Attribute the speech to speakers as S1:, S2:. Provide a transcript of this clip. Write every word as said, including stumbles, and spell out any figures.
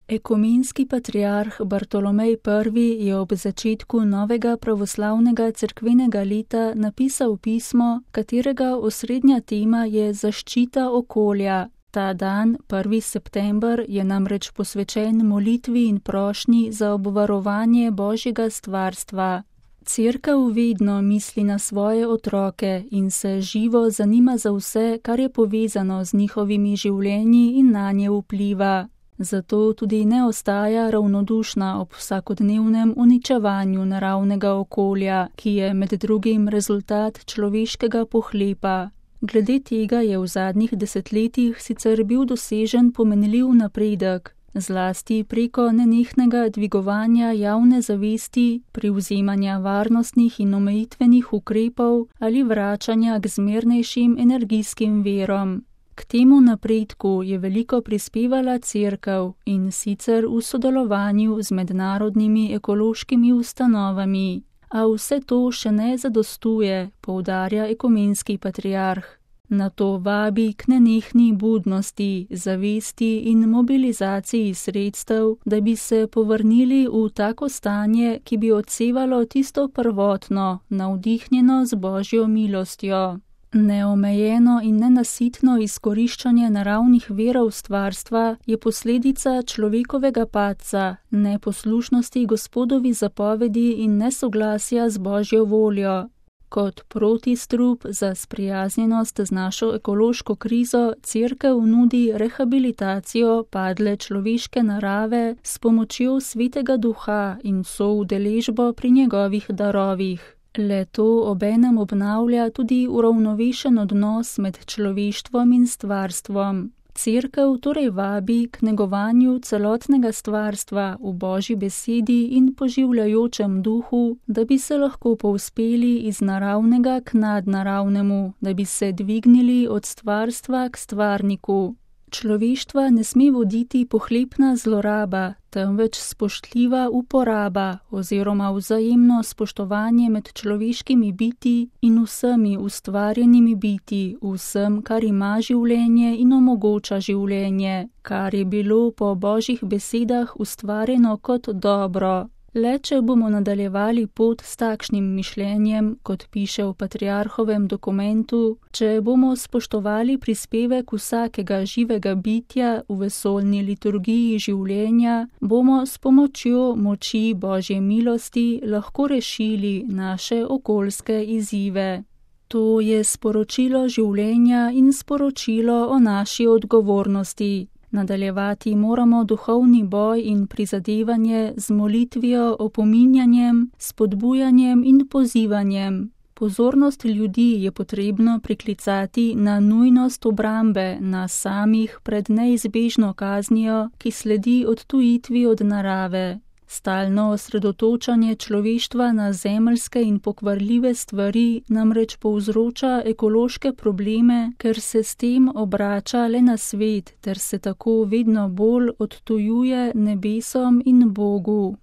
S1: Ekumenski patriarh Bartolomej Prvi je ob začetku novega pravoslavnega cerkvenega leta napisal pismo, katerega osrednja tema je zaščita okolja. Ta dan, prvi september, je namreč posvečen molitvi in prošnji za obvarovanje Božjega stvarstva. Cerkev vedno misli na svoje otroke in se živo zanima za vse, kar je povezano z njihovimi življenji in nanje vpliva. Zato tudi ne ostaja ravnodušna ob vsakodnevnem uničevanju naravnega okolja, ki je med drugim rezultat človeškega pohlepa. Glede tega je v zadnjih desetletjih sicer bil dosežen pomenljiv napredek, zlasti preko nenehnega dvigovanja javne zavesti, privzemanja varnostnih in omejitvenih ukrepov ali vračanja k zmernejšim energijskim virom. K temu napredku je veliko prispevala Cerkev, in sicer v sodelovanju z mednarodnimi ekološkimi ustanovami. A vse to še ne zadostuje, poudarja ekumenski patriarh. Na to vabi k nenehni budnosti, zavesti in mobilizaciji sredstev, da bi se povrnili v tako stanje, ki bi odsevalo tisto prvotno, navdihnjeno z Božjo milostjo. Neomejeno in nenasitno izkoriščanje naravnih virov stvarstva je posledica človekovega padca, neposlušnosti Gospodovi zapovedi in nesoglasja z Božjo voljo. Kot protistrup za sprijaznjenost z našo ekološko krizo Cerkev nudi rehabilitacijo padle človeške narave s pomočjo Svetega Duha in soudeležbo pri njegovih darovih. Le to obenem obnavlja tudi uravnovešen odnos med človeštvom in stvarstvom. Cerkev torej vabi k negovanju celotnega stvarstva v Božji besedi in poživljajočem duhu, da bi se lahko povzpeli iz naravnega k nadnaravnemu, da bi se dvignili od stvarstva k stvarniku. Človeštva ne sme voditi pohlepna zloraba, temveč spoštljiva uporaba oziroma vzajemno spoštovanje med človeškimi biti in vsemi ustvarjenimi biti, vsem, kar ima življenje in omogoča življenje, kar je bilo po Božjih besedah ustvarjeno kot dobro. Le če bomo nadaljevali pot s takšnim mišljenjem, kot piše v patriarhovem dokumentu, če bomo spoštovali prispevek vsakega živega bitja v vesoljni liturgiji življenja, bomo s pomočjo moči Božje milosti lahko rešili naše okoljske izzive. To je sporočilo življenja in sporočilo o naši odgovornosti. Nadaljevati moramo duhovni boj in prizadevanje z molitvijo, opominjanjem, spodbujanjem in pozivanjem. Pozornost ljudi je potrebno priklicati na nujnost obrambe nas samih pred neizbežno kaznijo, ki sledi odtujitvi od narave. Stalno osredotočanje človeštva na zemeljske in pokvarljive stvari namreč povzroča ekološke probleme, ker se s tem obrača le na svet ter se tako vedno bolj odtujuje nebesom in Bogu.